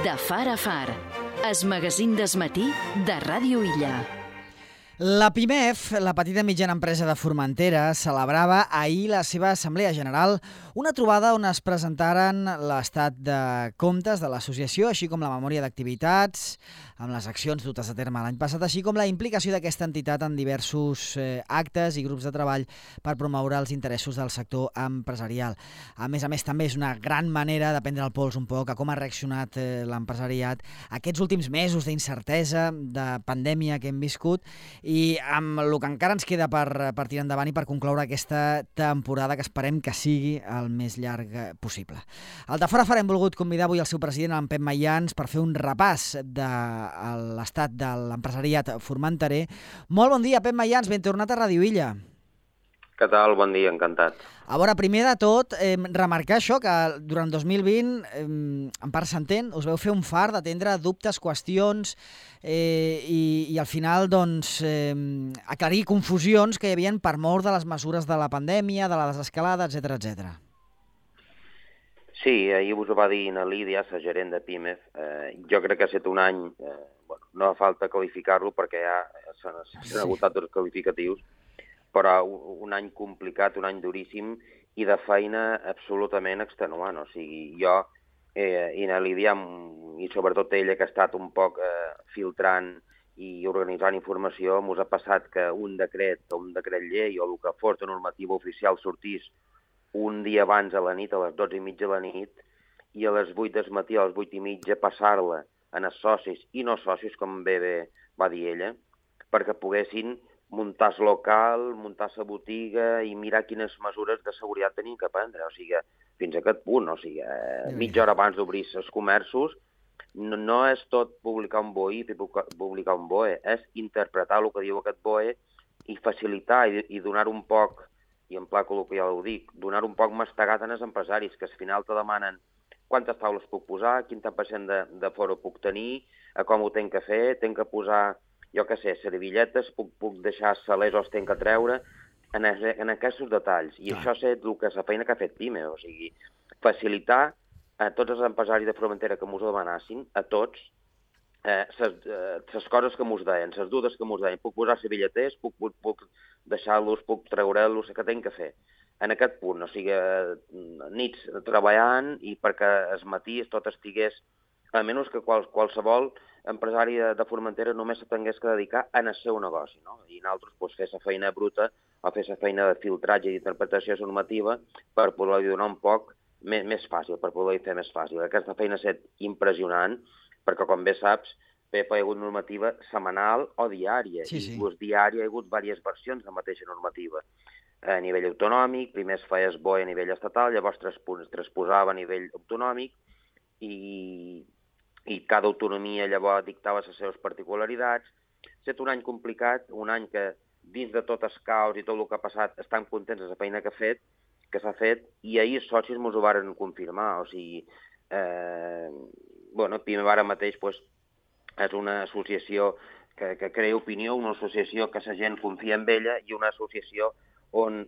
De far a far, es magazín d'esmatí de Ràdio Illa. La PIMEF, la petita i mitjana empresa de Formentera, celebrava ahir la seva Assemblea General, una trobada on es presentaren l'estat de comptes de l'associació, així com la memòria d'activitats, amb les accions dutes a terme l'any passat, així com la implicació d'aquesta entitat en diversos actes i grups de treball per promoure els interessos del sector empresarial. A més, també és una gran manera de prendre el pols un poc a com ha reaccionat l'empresariat aquests últims mesos d'incertesa, de pandèmia que hem viscut, i amb el que encara ens queda per tirar endavant i per concloure aquesta temporada que esperem que sigui el més llarg possible. Al de Fora hem volgut convidar avui el seu president, en Pep Mayans, per fer un repàs de l'estat de l'empresariat formenterer. Molt bon dia, Pep Mayans, ben tornat a Ràdio Illa. Què tal? Bon dia, encantat. A veure, primer de tot, remarcar això, que durant 2020, en part s'entén, us veu fer un far d'atendre dubtes, qüestions i al final doncs, aclarir confusions que hi havia per mort de les mesures de la pandèmia, de la desescalada, etc. Sí, ahir us ho va dir na Lídia, la gerent de PIMEF. Jo crec que ha estat un any, no fa falta qualificar-lo perquè ja s'han agotat els qualificatius, però un any complicat, un any duríssim i de feina absolutament extenuant. O sigui, jo i na Lídia, i sobretot ella que ha estat un poc filtrant i organitzant informació, mos ha passat que un decret llei o el que fos de normativa oficial sortís un dia abans a la nit, a les 12:30 de la nit, i a les 8 del matí, a les 8:30, passar-la a els socis i no socis, com bé va dir ella, perquè poguessin muntar el local, muntar la botiga i mirar quines mesures de seguretat tenien que prendre. O sigui, fins a aquest punt, o sigui, mitja hora abans d'obrir els comerços, no és tot publicar un BOE i publicar un BOE, és interpretar el que diu aquest BOE i facilitar i donar un poc, i en pla col·loquial ho dic, donar un poc mastegat als empresaris, que al final te demanen quantes taules puc posar, quin tant % de foro puc tenir, com ho tenc que fer, tenc que posar, jo què sé, servillets, puc deixar salers o els tenc que treure, en aquests detalls. I això és la feina que ha fet PIME, o sigui, facilitar a tots els empresaris de Formentera que mos ho demanassin, a tots, les coses que mos deien, les dudes que mos deien. Puc posar servilleters, puc deixar-los, puc treure-los, que tenc que fer. En aquest punt, o sigui, nits treballant i perquè el matí tot estigués, a menys que qualsevol empresari de Formentera només se tingués que dedicar al seu negoci, no? I nosaltres fer la feina bruta o fer la feina de filtratge i d'interpretació normativa per poder-li donar un poc més fàcil, per poder-hi fer més fàcil. Aquesta feina ha estat impressionant, perquè, com bé saps, hi ha hagut normativa setmanal o diària. Sí. I diària hi ha hagut diverses versions de la mateixa normativa. A nivell autonòmic, primer es feia el BOE a nivell estatal, llavors transposava a nivell autonòmic i cada autonomia llavors dictava les seves particularitats. Ha estat un any complicat, un any que dins de tot el caos i tot el que ha passat estan contents de la feina que s'ha fet, i ahir els socis ens ho varen confirmar. O sigui, PIME ara mateix és una associació que crea opinió, una associació que la gent confia en ella i una associació on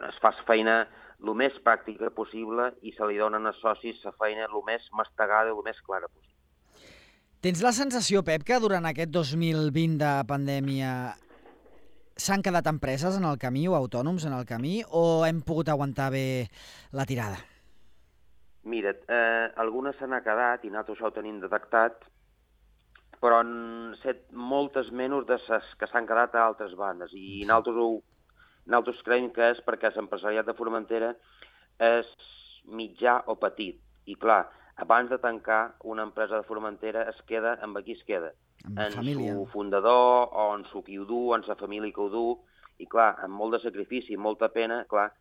es fa feina el més pràctica possible i se li donen als socis la feina el més mastegada i el més clara possible. Tens la sensació, Pep, que durant aquest 2020 de pandèmia s'han quedat empreses en el camí o autònoms en el camí, o hem pogut aguantar bé la tirada? Mira, algunes se n'ha quedat i nosaltres això ho tenim detectat, però han set moltes menys de les que s'han quedat a altres bandes, i nosaltres creiem que és perquè l'empresariat de Formentera és mitjà o petit. I clar, abans de tancar una empresa de Formentera es queda amb qui es queda. En su fundador, o en su qui ho du, en sa família que ho du, i clar, amb molt de sacrifici, molta pena, clar,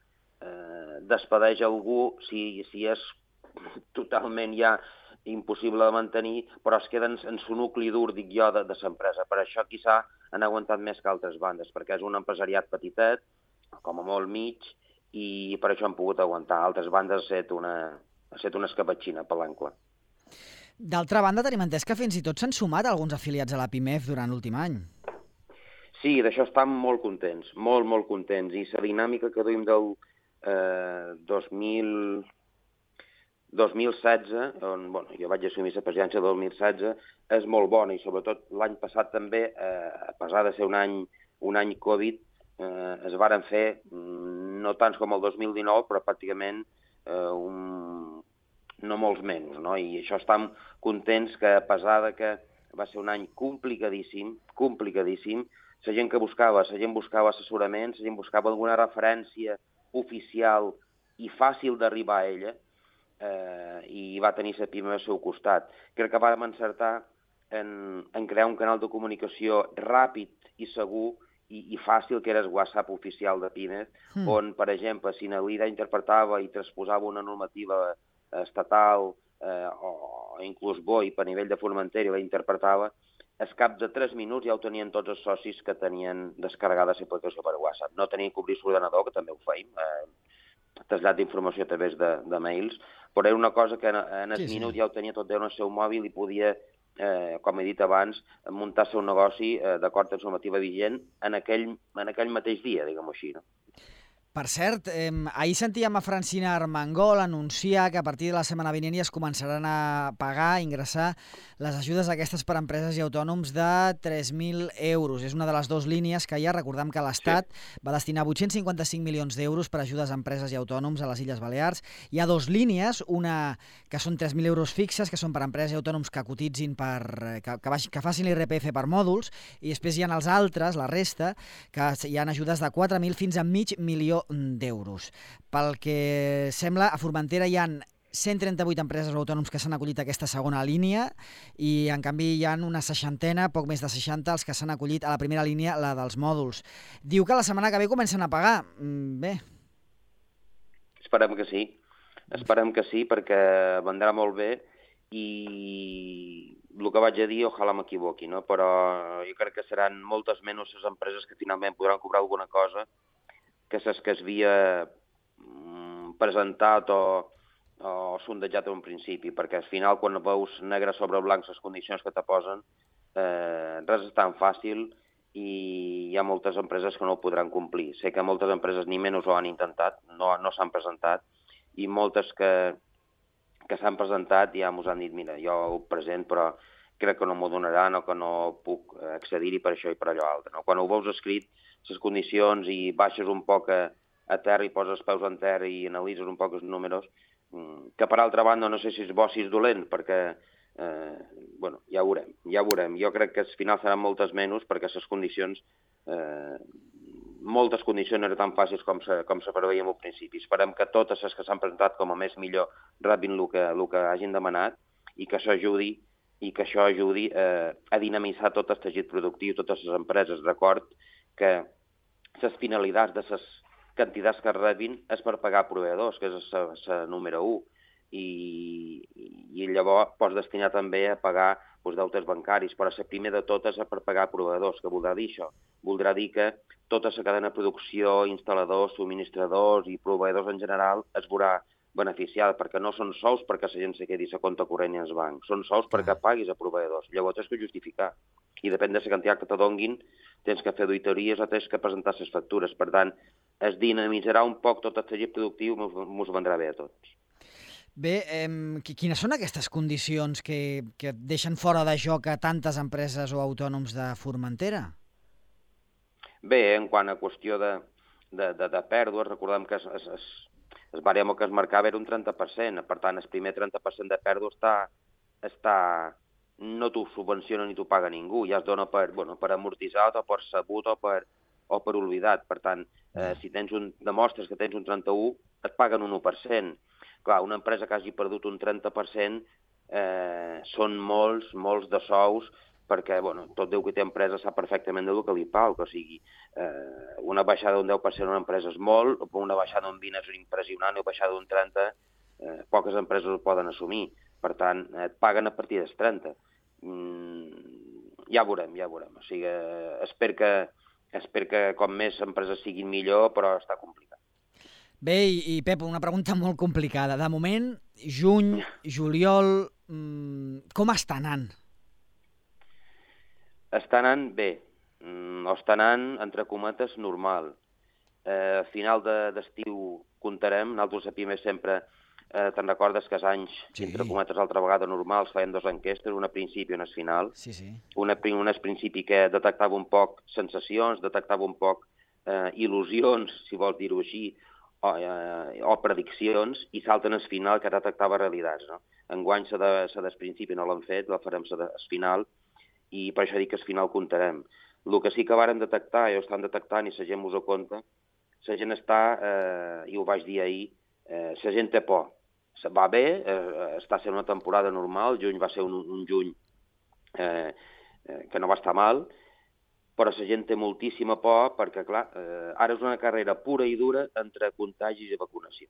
despedeix algú si és totalment ja impossible de mantenir, però es queda en su nucli dur, dic jo, de l'empresa. Per això quizà han aguantat més que altres bandes, perquè és un empresariat petitet, com a molt mig, i per això han pogut aguantar. Altres bandes ha estat una escapatxina per l'ancle. D'altra banda, tenim entès que fins i tot s'han sumat alguns afiliats a la PIMEF durant l'últim any. Sí, d'això estem molt contents, molt contents. I la dinàmica que duim del 2016, on jo vaig assumir la presidència del 2016, és molt bona, i sobretot l'any passat també, a pesar de ser un any Covid, es varen fer, no tants com el 2019, però pràcticament no molts menys, no? I això estem contents que, a pesar de que va ser un any complicadíssim, la gent buscava assessorament, la gent buscava alguna referència oficial i fàcil d'arribar a ella, i va tenir la PIME al seu costat. Crec que vam encertar en crear un canal de comunicació ràpid i segur i fàcil, que era el WhatsApp oficial de PIME, on, per exemple, si na Lida interpretava i transposava una normativa estatal o inclús BOI per nivell de Formentera i la interpretava, al cap de 3 minuts ja ho tenien tots els socis que tenien descarregada l'aplicació per WhatsApp. No tenien que obrir l'ordenador, que també ho feim, trasllat d'informació a través de mails, però era una cosa que en el minut ja ho tenia tot en el seu mòbil i podia, com he dit abans, muntar el seu negoci d'acord amb la normativa vigent en aquell mateix dia, diguem-ho així, no? Per cert, ahir sentíem a Francina Armengol anunciar que a partir de la setmana vinent es començaran a pagar, a ingressar les ajudes aquestes per a empreses i autònoms de 3.000 euros. És una de les dues línies que ja recordem que l'Estat va destinar 855 milions d'euros per a ajudes a empreses i autònoms a les Illes Balears. Hi ha dues línies, una que són 3.000 euros fixes, que són per a empreses i autònoms que cotitzin que facin l'IRPF per mòduls, i després hi ha els altres, la resta, que hi ha ajudes de 4.000 fins a mig milió d'euros. Pel que sembla, a Formentera hi ha 138 empreses o autònoms que s'han acollit a aquesta segona línia i, en canvi, hi ha una 60, poc més de 60, els que s'han acollit a la primera línia, la dels mòduls. Diu que la setmana que ve comencen a pagar. Bé. Esperem que sí, perquè vendrà molt bé, i el que vaig a dir, ojalà m'equivoqui, no? Però jo crec que seran moltes menys les empreses que finalment podran cobrar alguna cosa que les que s'havia presentat o sondejat en un principi, perquè al final, quan veus negre sobre blanc les condicions que te posen, res és tan fàcil i hi ha moltes empreses que no ho podran complir. Sé que moltes empreses ni menys ho han intentat, no s'han presentat, i moltes que s'han presentat ja m'ho han dit, mira, jo ho present, però crec que no m'ho donaran o que no puc accedir-hi per això i per allò altre. Quan ho veus escrit, les condicions, i baixes un poc a terra i poses els peus en terra i analitzes un poc els números, que per altra banda no sé si és bo o si és dolent, perquè ja ho veurem. Jo crec que al final seran moltes menys, perquè les condicions, moltes condicions no eren tan fàcils com se preveia al principi. Esperem que totes les que s'han presentat com a més millor rebin el que hagin demanat, i que això ajudi a dinamitzar tot el teixit productiu, totes les empreses. Record que les finalitats de les quantitats que rebin és per pagar proveïdors, que és la número 1, i llavors pots destinar també a pagar deutes bancaris, però la primer de totes és per pagar proveïdors. Què voldrà dir això? Voldrà dir que tota la cadena de producció, instal·ladors, subministradors i proveïdors en general es veurà beneficiada, perquè no són sous perquè la gent se quedi a compte corrent i als bancs, són sous perquè paguis a proveïdors. Llavors tens que justificar, i depèn de la quantitat que te donguin, tens que fer auditories o tens que presentar les factures. Per tant, es dinamitzarà un poc tot el teixit productiu, mos vendrà bé a tots. Bé, quines són aquestes condicions que deixen fora de joc a tantes empreses o autònoms de Formentera? Bé, en quant a qüestió de pèrdues, recordem que el baremo que es marcava era un 30%, per tant, el primer 30% de pèrdua no t'ho subvenciona ni t'ho paga ningú, ja es dona per amortitzat o per sabut o per oblidat. Per tant, si demostres que tens un 31%, et paguen un 1%. Clar, una empresa que hagi perdut un 30% són molts de sous, perquè tot Déu que té empresa sap perfectament del que li paga. O sigui, una baixada d'un 10% en una empresa és molt, una baixada d'un 20% és impressionant, i una baixada d'un 30%, poques empreses ho poden assumir. Per tant, et paguen a partir dels 30%. Ja veurem. O sigui, espero que com més empreses siguin millor, però està complicat. Bé, i Pep, una pregunta molt complicada. De moment, juny, juliol, com està anant? Està anant bé, o està anant, entre cometes, normal. A final d'estiu comptarem, nosaltres a PIME sempre te'n recordes que els anys, Sí. entre cometes, altra vegada normals, feien 2 enquestes, una a principi i una a final. Sí, sí. Una a principi que detectava un poc sensacions, detectava un poc il·lusions, si vols dir-ho així, o prediccions, i salten al final que detectava realitats. No? Enguany, la del principi no l'han fet, la farem la del final, i per això dic que al final comptarem. El que sí que vàrem detectar, i ho estan detectant, i la gent us ho compta, la gent està, i ho vaig dir ahir, la gent té por. Va bé, està sent una temporada normal, juny va ser un juny que no va estar mal, però la gent té moltíssima por perquè, clar, ara és una carrera pura i dura entre contagis i vacunació.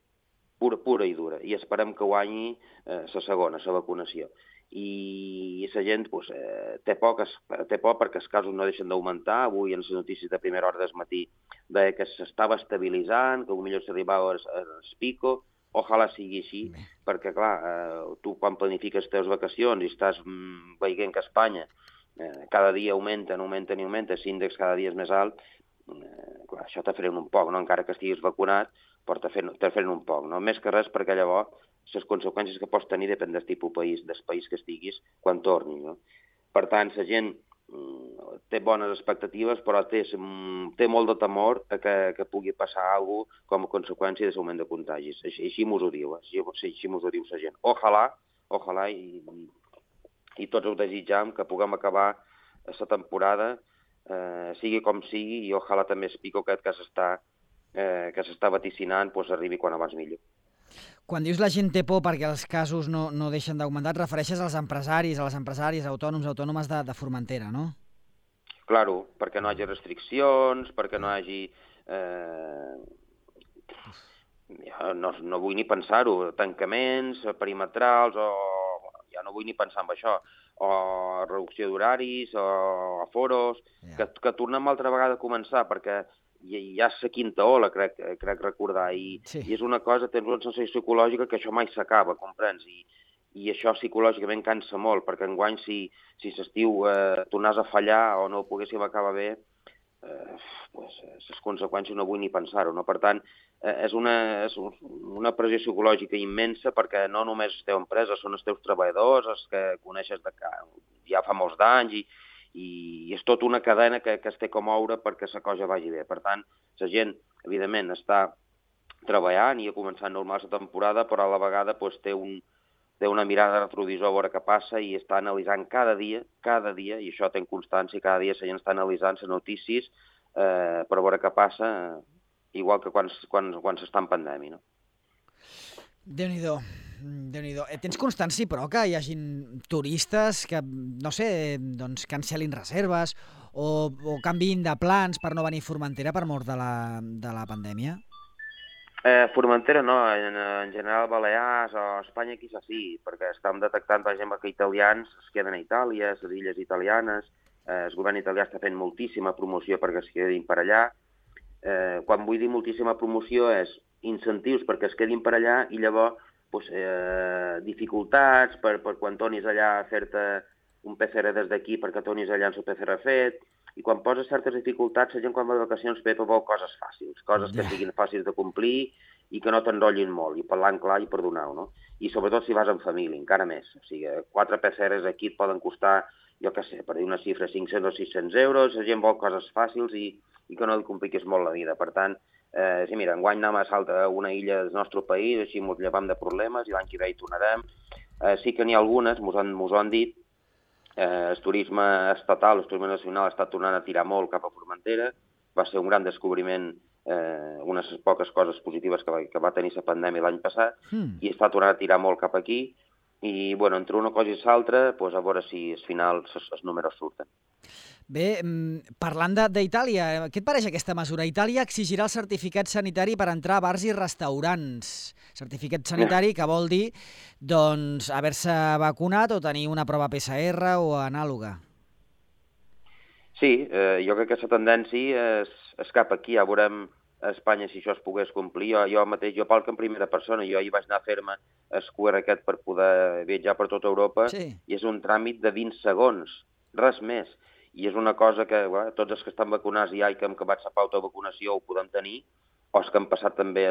Pura i dura. I esperem que guanyi la segona, la vacunació. I la gent té por perquè els casos no deixen d'augmentar. Avui, en les notícies de primera hora del matí, deia que s'estava estabilitzant, que potser s'arribava al pico. Ojalà sigui així, perquè, clar, tu quan planifiques les teves vacacions i estàs veient que a Espanya cada dia augmenten, l'índex cada dia és més alt, clar, això te frena un poc, no? Encara que estiguis vacunat, però te frena un poc, no? Més que res perquè llavors les conseqüències que pots tenir depèn del tipus del país que estiguis quan tornis, no? Per tant, la gent té bones expectatives, però té molt de temor que pugui passar alguna cosa com a conseqüència de l'augment de contagis. Així mos ho diu, així mos ho diu la gent. Ojalà, i tots ho desitjam, que puguem acabar la temporada, sigui com sigui, i ojalà també el pico aquest que s'està vaticinant arribi quan abans millor. Quan dius la gent té por perquè els casos no deixen d'augmentar, et refereixes als empresaris, a les empresàries, autònomes de Formentera, no? Claro, perquè no hi hagi restriccions, perquè no hi hagi... no vull ni pensar-ho, tancaments perimetrals, ja no vull ni pensar en això, o reducció d'horaris, o aforos, que tornem altra vegada a començar, perquè ja és la quinta ola, crec recordar, i és una cosa, tens una sensació psicològica que això mai s'acaba, comprens? I això psicològicament cansa molt, perquè enguany si l'estiu tornàs a fallar o no ho poguéssim acabar bé, les conseqüències no vull ni pensar-ho, no? Per tant, és una pressió psicològica immensa perquè no només la teva empresa, són els teus treballadors, els que coneixes ja fa molts d'anys, i és tota una cadena que es té com moure perquè la cosa vagi bé. Per tant, la gent, evidentment, està treballant i ha començat normal la temporada, però a la vegada té una mirada de retrovisor a veure què passa i està analitzant cada dia, i això té constància, cada dia la gent està analitzant les notícies per veure què passa, igual que quan s'està en pandèmia, no? Déu-n'hi-do. Tens constància, però, que hi hagin turistes que, no sé, doncs cancel·lin reserves o canviïn de plans per no venir a Formentera per mort de la pandèmia? Formentera no, en general Balears o Espanya quizás sí, perquè estem detectant, per exemple, que italians es queden a Itàlia, les illes italianes, el govern italià està fent moltíssima promoció perquè es quedin per allà. Quan vull dir moltíssima promoció és incentius perquè es quedin per allà i llavors dificultats per quan tornis allà a fer-te un PCR des d'aquí perquè tornis allà amb el PCR fet, i quan poses certes dificultats, la gent quan va de vacacions vol coses fàcils, coses que siguin fàcils de complir i que no t'enrotllin molt, i parlant clar i perdonar-ho, no? I sobretot si vas en família, encara més. O sigui, 4 PCRs aquí et poden costar, jo què sé, per dir una xifra, 500 o 600 euros, la gent vol coses fàcils i que no li compliquis molt la vida. Per tant, sí, mira, enguany anem a saltar a una illa del nostre país, així ens llevam de problemes i l'any que ve hi tornarem. Sí que n'hi ha algunes, mos ho han dit, el turisme estatal, el turisme nacional està tornant a tirar molt cap a Formentera, va ser un gran descobriment, unes poques coses positives que va tenir la pandèmia l'any passat, i està tornant a tirar molt cap aquí, i bueno, entre una cosa i l'altra, a veure si al final els números surten. Bé, parlant d'Itàlia, què et pareix aquesta mesura? Itàlia exigirà el certificat sanitari per entrar a bars i restaurants. Certificat sanitari que vol dir, doncs, haver-se vacunat o tenir una prova PCR o anàloga. Sí, jo crec que la tendència és cap aquí. Ja veurem a Espanya si això es pogués complir. Jo mateix, jo parlo en primera persona, jo hi vaig anar a fer-me el QR aquest per poder viatjar per tota Europa, i és un tràmit de 20 segons, res més. I és una cosa que tots els que estan vacunats ja i que hem acabat la pauta de vacunació ho podem tenir, o els que han passat també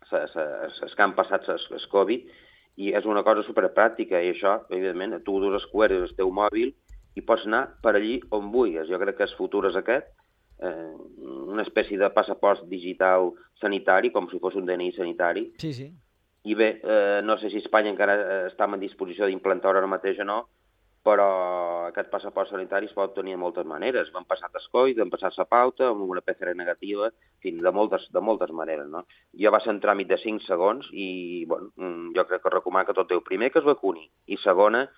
que han passat el Covid, i és una cosa superpràctica, i això, evidentment, tu dus el QR el teu mòbil i pots anar per allí on vulguis. Jo crec que el futur és aquest, una espècie de passaport digital sanitari, com si fos un DNI sanitari. Sí, sí. I bé, no sé si Espanya encara està en disposició d'implantar ara mateix o no, però aquest passaport sanitari es pot tenir de moltes maneres. Van passar el COVID, van passar la pauta, amb una PCR negativa, en fi, de moltes maneres, no? Jo va ser un tràmit de 5 segons i, bueno, jo crec que recomano que tot Déu, primer, que es vacuni, i segona,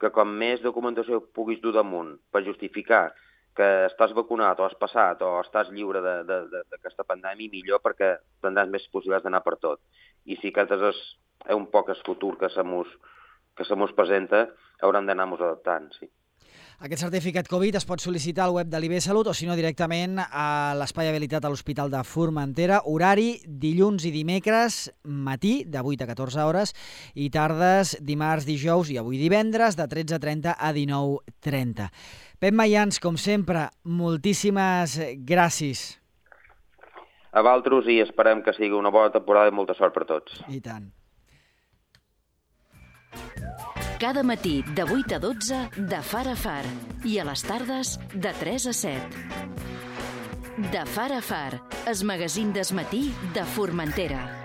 que com més documentació puguis dur damunt per justificar que estàs vacunat o has passat o estàs lliure d'aquesta pandèmia, millor, perquè tindràs més possibilitats d'anar per tot. I si aquest és un poc el futur que se mos presenta, haurem d'anar-nos adaptant, sí. Aquest certificat Covid es pot sol·licitar al web de l'IBSalut o, si no, directament a l'espai habilitat a l'Hospital de Formentera. Horari dilluns i dimecres, matí, de 8 a 14 hores, i tardes, dimarts, dijous i avui divendres, de 13:30 a 19:30. Pep Mayans, com sempre, moltíssimes gràcies. A vosaltres, i esperem que sigui una bona temporada i molta sort per tots. I tant. Cada matí de 8 a 12 de Far a Far i a les tardes de 3 a 7. De Far a Far, el magazín del matí de Formentera.